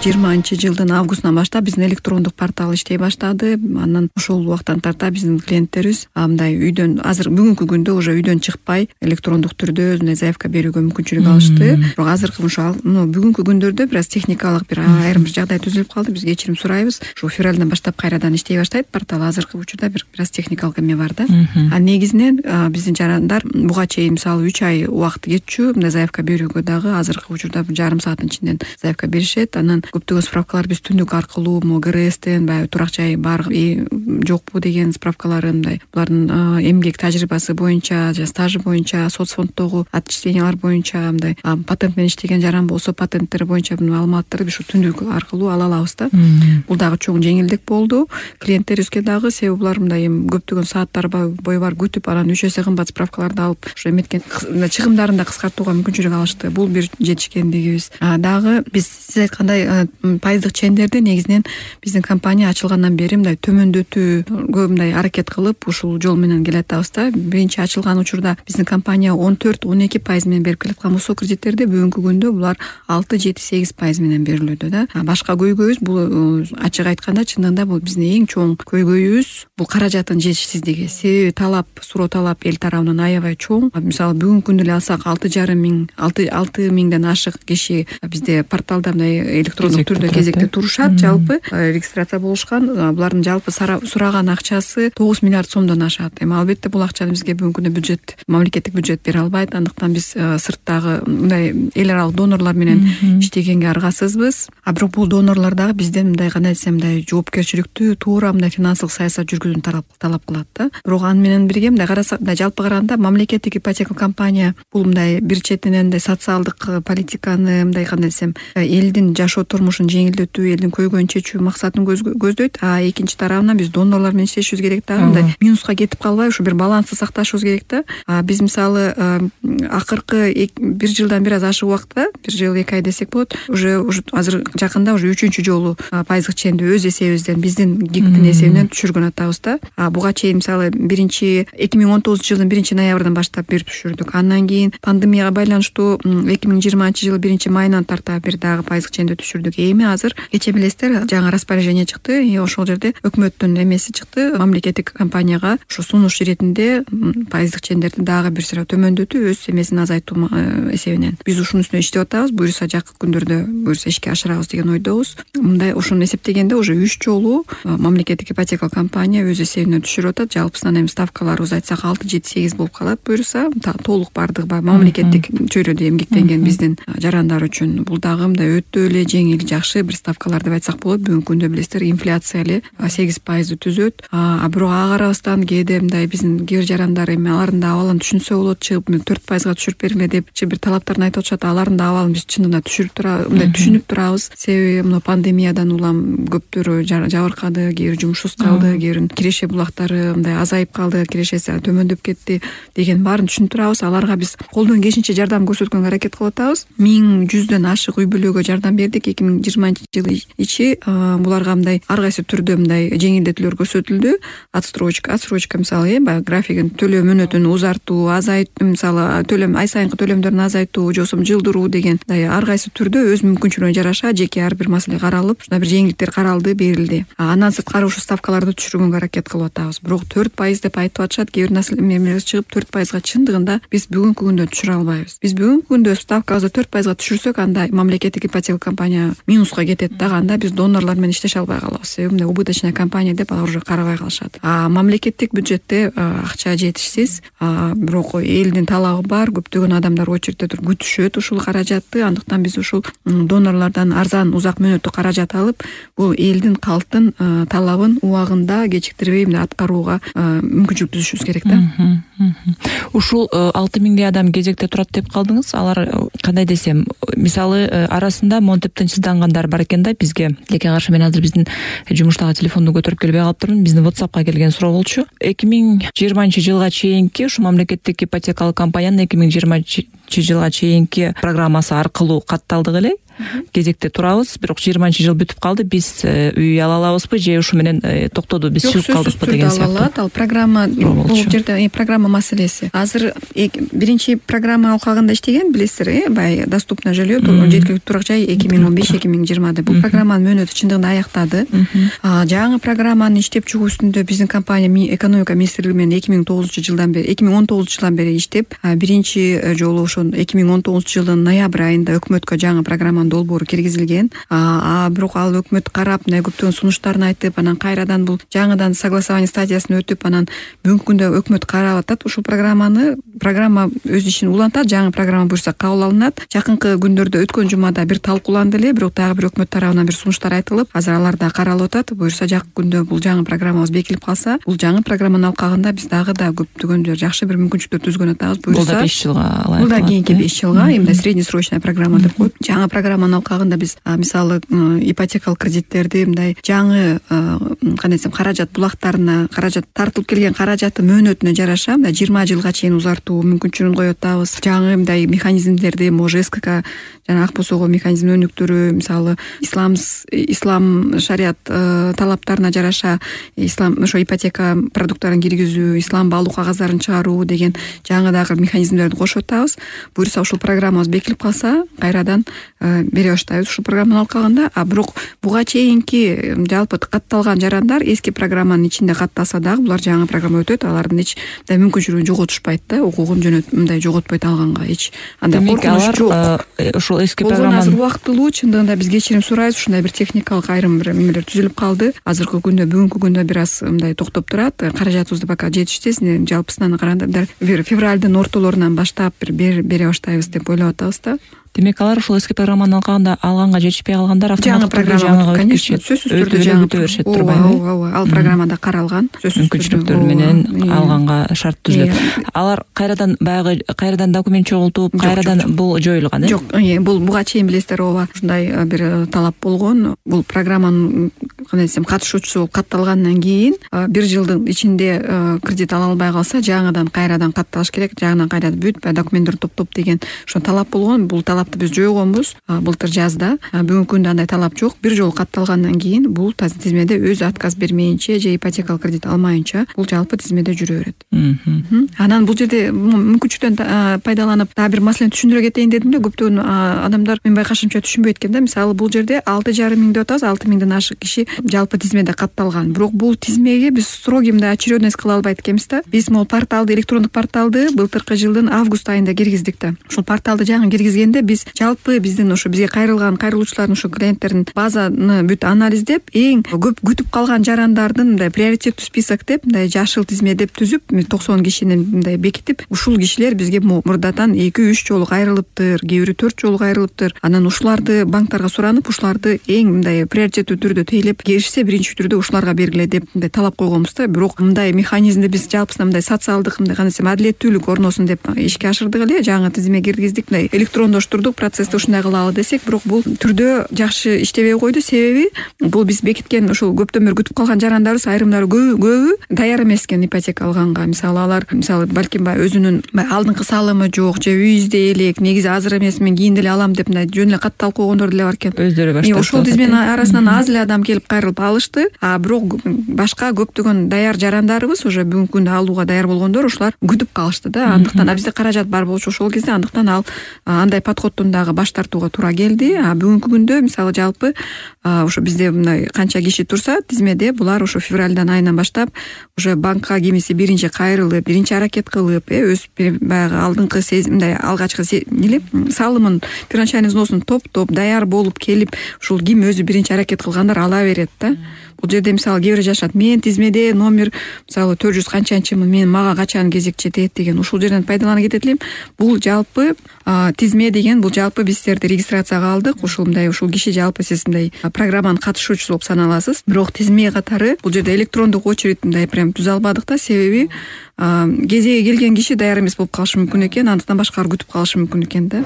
2020-жылдын августунан баштап биздин электрондук портал иштей баштады. Андан ошол убактан тарта биздин клиенттерибиз мындай үйдөн азыр бүгүнкү күндө уже үйдөн чыкпай электрондук түрдө мындай заявка берүүгө мүмкүнчүлүк алышты. Бирок азыркы ушул бүгүнкү күндөрдө бир аз техникалык бир айрым бир жагдай түзүлүп калды. Биз кечирим сурайбыз. Ушу февралдан баштап кайрадан иштей баштайт портал. Азыркы учурда бир аз техникалык эме бар да. Негизинен биздин жарандар буга чейин мисалы 3 ай убакыт кетчү мындай заявка берүүгө дагы азыркы учурда бир жарым сааттын ичинен заявка беришет. Анан көптөгөн справкалар биз түндүк аркылуу ГРСтен баягы турак жай бар жокпу деген справкаларын мындай булардын эмгек тажрыйбасы боюнча же стажы боюнча соцфонддогу отчислениялар боюнча мындай патент менен иштеген жаран болсо патенттери боюнча маалыматтарды биз түндүк аркылуу ала алабыз да. Бул дагы чоң жеңилдик болду клиенттерибизге дагы, себеби булар мындай көптөгөн сааттар бою бар күтүп анан 3 эсе кымбат справкаларды алып ушу эметкен чыгымдарын да кыскартууга мүмкүнчүлүк алышты. Бул бир жетишкендигибиз. Дагы биз сиз айткандай пайыздык чендерди негизинен биздин компания ачылгандан бери мындай төмөндөтүүгө мындай аракет кылып ушул жол менен келатабыз да. Биринчи ачылган учурда биздин компания 14-12% менен берип келаткан болсо кредиттерди, бүгүнкү күндө булар 6-7-8% менен берилүүдө да. Башка көйгөйүбүз бул ачык айтканда чындыгында бул биздин эң чоң көйгөйүбүз бул каражаттын жетишсиздиги. Себеби суроо талап эл тарабынан аябай чоң. Мисалы бүгүнкү күндө эле алсак 6 миңден ашык киши бизде порталда мындай электрондук түрдө кезекте турушат. Жалпы регистрация болушкан. Булардын жалпы сураган акчасы 9 миллиард сомдон ашат. Эми албетте бул акчаны бизге бүгүнкү күндө бюджет, мамлекеттик бюджет бере албайт. Андыктан биз сырттагы мындай эл аралык донорлор менен иштегенге аргасызбыз. Бирок бул донорлор дагы бизден мындай кандай десем мындай жоопкерчиликтүү, туура мындай финансылык саясат жүргүзүүнү талап кылат да. Бирок аны менен бирге мындай карасак, мындай жалпы караганда мамлекеттик ипотека компания бул мындай бир четинен мындай социалдык политиканы мындай кандай десем элдин жашоо турмушун жеңилдетүү, элдин көйгөйүн чечүү максатын көздөйт. Экинчи тарабынан биз донорлор менен иштешибиз керек дагы, мындай минуска кетип калбай ушу бир балансты сакташыбыз керек да. Биз мисалы акыркы бир жылдан бир аз ашык убакытта, бир жыл 2 ай десек болот, уже азыр жакында уже 3-чү жолу пайыздык ченди өз эсебибизден, биздин ГИКтин эсебинен түшүргөн атабыз да. Буга чейин мисалы 2019-жылдын 1-ноябрдан баштап берип түшүрдүк. Андан кийин пандемияга байланыштуу 2020-жылы 1-майынан тарта бир дагы пайыздык ченди түшүрдүк. Эми азыр кече билесиздер жаңы распоряжение чыкты. Ошол жерде өкмөттүн эмеси чыкты. Мамлекеттик компанияга ушу сунуш иретинде пайыздык чендерди дагы бир сыра төмөндөтүү, өз эмесин азайтуу эсебинен. Биз ушунун үстүнө иштеп атабыз. Буюрса жакын күндөрдө буюрса ишке ашырабыз деген ойдобуз. Мындай ушуну эсептегенде уже 3 жолу мамлекеттик ипотека компания өз эсебинен түшүрүп атат. Жалпысынан эми ставкаларыбыз айтсак 6-7-8 болуп калат. Буюрса толук бардыгы мамлекеттик чөйрөдө эмгектенген биздин жарандар үчүн бул дагы мындай өтө эле жеңил, жакшы бир ставкалар деп айтсак болот. Бүгүнкү күндө билесиздер инфляция эле 8% түзөт. Бирок ага карабастан кээде мындай биздин кээ бир жарандар эми алардын да абалын түшүнсө болот, чыгып 4%га түшүрүп бергиле деп бир талаптарын айтып атышат. Алардын да абалын биз чынында түшүнүп турабыз. Себеби мына пандемиядан улам көптөрү жабыркады, кээ бир жумушсуз калды, кээ бир киреше булактары мындай азайып калды, кирешеси төмөндөп кетти деген баарын түшүнүп турабыз. Аларга биз колдон келишинче жардам көрсөткөнгө аракет кылып атабыз. 1100дөн ашык үй бүлөгө жардам бердик 2020-жылы ичи. Буларга мындай ар кайсы түрдө мындай жеңилдетүүлөр көрсөтүлдү. Отсрочка мисалы баягы графигин төлөө мөөнөтүн узартуу, азайтуу, мисалы ай сайынкы төлөмдөрүн азайтуу, же болбосо жылдыруу деген ар кайсы түрдө өз мүмкүнчүлүгүнө жараша жеке ар бир маселе каралып, ушундай бир жеңилдиктер каралды, берилди. Андан сырткары ушу ставкаларды түшүргөнгө аракет кылып атабыз. Бирок 4% деп айтып атышат. Кээ бир населелер чыгып 4%га чындыгында биз бүгүнкү күндө түшүрө албайбыз. Биз бүгүнкү күндө ставкабызды 4%га түшүрсөк, анда мамлекеттик ипотека компания минуска кетет дагы, анда биз донорлор менен иштеше албай калабыз. Себеби мындай убыточная компания деп алар уже карабай калышат. Мамлекеттик бюджетте акча жетишсиз, бирок элдин талабы бар, көптөгөн адамдар очередте туруп күтүшөт ушул каражатты. Андыктан биз ушул донорлордон арзан, узак мөөнөттүү каражат алып, бул элдин, калктын талабын убагында кечиктирбей аткарууга мүмкүнчүлүк түзүшүбүз керек да. Ушул 6 миңдей адам кезекте турат деп калдыңыз. Алар кандай десем, мисалы арасында монтип тынчсыздангандар бар экен да. Бизге деке каршы мен азыр биздин жумуштагы телефонду көтөрүп келбей калыптырмын. Биздин WhatsAppка келген суроо болчу. 2020-жылга чейинки ушу мамлекеттик ипотекалык компаниянын 2020-жылга чейинки программасы аркылуу катталдык эле. Кезекте турабыз, бирок 20-жыл бүтүп калды. Биз үй ала алабызбы же ушу менен токтоду, биз чыгып калдыкпы деген сыяктуу. Ал программа бул жерде программа маселеси. Азыр биринчи программа алкагында иштеген, билесиздер, баягы доступный жилье, жеткиликтүү турак жай 2015 2020 бул программанын мөөнөтү чындыгында аяктады. Жаңы программаны иштеп чыгуу үстүндө биздин компания экономика министрлиги менен 2019 жылдан бери иштеп, биринчи жолу ошо 2019 жылдын ноябрь айында өкмөткө жаңы программанын долбоору киргизилген. Бирок ал өкмөт карап, көптөгөн сунуштарын айтып, анан кайрадан бул жаңыдан согласование стадиясын өтүп, анан бүгүнкү күндө өкмөт карап атат ушул программаны. Программа өз ишин улантат, жаңы программа буюрса кабыл алынат. Жакынкы күндөрдө өткөн жумада бир талкууланды эле, бирок дагы бир өкмөт тарабынан бир сунуштар айтылып, азыр алар да каралып атат. Буюрса жакын күндө бул жаңы программабыз бекилип калса, бул жаңы программанын алкагында биз дагы да көптөгөн жакшы бир мүмкүнчүлүктөр түзгөн атабыз. Бул да 5 жылга алат. Бул да кийинки 5 жылга, эмне среднесрочная программа деп коет. Жаңы программанын алкагында биз мисалы ипотекалык кредиттерди мындай жаңы кандай десем каражат булактарына, каражат тартылып келген каражаты мөөнөтүнө жараша мындай 20 жылга чейин узартуу мүмкүнчүлүгүн коюп атабыз. Жаңы мындай механизмдерди, может СКК жана ак босого механизм өнүктүрүү, мисалы ислам шарият талаптарына жараша ислам ошо ипотека продукттарын киргизүү, ислам баалуу кагаздарын чыгаруу деген жаңы дагы механизмдерди кошуп атабыз. Буюрса ушул программабыз бекилип калса, кайрадан бере баштайбыз ушул программанын алкагында. Бирок буга чейинки жалпы катталган жарандар эски программанын ичинде катталса дагы булар жаңы программа өтөт, алардын эч мүмкүнчүлүгүн жоготушпайт да, укугун мындай жоготпойт алганга эч андай коркунуч жок. Ушул эски программа азыр убактылуу чындыгында биз кечирим сурайбыз, ушундай бир техникалык айрым бир эмелер түзүлүп калды. Азыркы күндө бүгүнкү күндө бир аз мындай токтоп турат. Каражатыбызды пока жетиштес, жалпысынан караганда бир февралдын ортолорунан баштап бир бере баштайбыз деп ойлоп атабыз да. Демек алар ушул эски программанын алганга жетишпей калгандар автоматтык программа, конечно, сөзсүз түрдө өтө беришет турбайбы? Ооба, ал программада каралган. Мүмкүнчүлүктөр менен алганга шарт түзүлөт. Алар кайрадан документ чогултуп, кайрадан бул жоюлган, Жок, бул буга чейин билесиздер, ооба, ушундай бир талап болгон. Бул программанын кандай десем катышуучусу болуп катталгандан кийин 1 жылдын ичинде кредит ала албай калса, жаңыдан кайрадан катталыш керек, жаңыдан кайрадан бүт документтерди топтоп деген ошо талап болгон. Бул талапты биз жойгонбуз былтыр жазда. Бүгүнкү күндө андай талап жок. 1 жолу катталгандан кийин бул тизмеде өзү отказ бермейинче же ипотекалык кредит алмайынча бул жалпы тизмеде жүрө берет. Анан бул жерде мүмкүнчүлүктөн пайдаланып дагы бир маселени түшүндүрө кетейин дедим эле. Көптөгөн адамдар мен байкашымча түшүнбөйт экен да. Мисалы бул жерде 6,5 миң деп атабыз, 6 миңден ашык киши жалпы тизмеде катталган. Бирок бул тизмеге биз строгий мындай очередность кыла албайт экенбиз да. Биз могу порталды, электрондук порталды былтыркы жылдын август айында киргиздик да. Ушул порталды жаңы киргизгенде биз жалпы биздин ошо бизге кайрылуучулардын ошо клиенттердин базаны бүт анализдеп, эң көп күтүп калган жарандардын мындай приоритеттүү список деп, мындай жашыл тизме деп түзүп, 90 кишини мындай бекитип, ушул кишилер бизге мурдатан 2-3 жолу кайрылыптыр, кээ бирөө 4 жолу кайрылыптыр. Анан ушуларды банктарга суранып, ушуларды эң мындай приоритеттүү түрдө тейлеп киришсе, биринчи түрдө ушуларга бергиле деп мындай талап койгонбуз да. Бирок мындай механизмди биз жалпысынан мындай социалдык, мындай кандай десем, адилеттүүлүк орносун деп ишке ашырдык эле, жаңы тизме киргиздик, мындай электрондоштурдук, процессти ушундай кылалы десек, бирок бул түрдө жакшы иштебей койду. Себеби бул биз бекиткен ушул көптөн бери күтүп калган жарандарыбыз айрымдары көбү даяр эмес экен ипотека алганга. Алар балким өзүнүн алдыңкы салымы жок же үй изде элек, негизи азыр эмес, мен кийин деле алам деп мындай жөн эле катталып койгондор деле бар экен. Өздөрү баштап ошол тизменин арасынан аз эле адам келип кайрылып алышты. Бирок башка көптөгөн даяр жарандарыбыз, уже бүгүнкү күндө алууга даяр болгондор, ушулар күтүп калышты да. Андыктан бизде каражат бар болчу ошол кезде, андыктан андай подходтон дагы баш тартууга туура келди. Бүгүнкү күндө мисалы жалпы ошо бизде мындай канча киши турса тизмеде, булар ошо февралдан айынан баштап уже банкка кимиси биринчи кайрылып, биринчи аракет кылып, өз баягы алдыңкы мындай алгачкы салымын, первоначальный взносун топтоп даяр болуп келип, ушул ким өзү биринчи аракет кылгандар ала берет да. Бул жерде мисалы кээ бирөө жашат, мен тизмеде номер мисалы 400 канчанчымын, мага качан кезек жетет деген, ушул жерден пайдаланып кетет элем. Бул жалпы тизме деген, бул жалпы биз силерди регистрацияга алдык. Ушул киши жалпы сиз мындай программанын катышуучусу болуп саналасыз. Бирок тизме катары бул жерде электрондук очередь мындай прям түзө албадык да. Себеби кезеги келген киши даяр эмес болуп калышы мүмкүн экен, андыктан башкалар күтүп калышы мүмкүн экен да.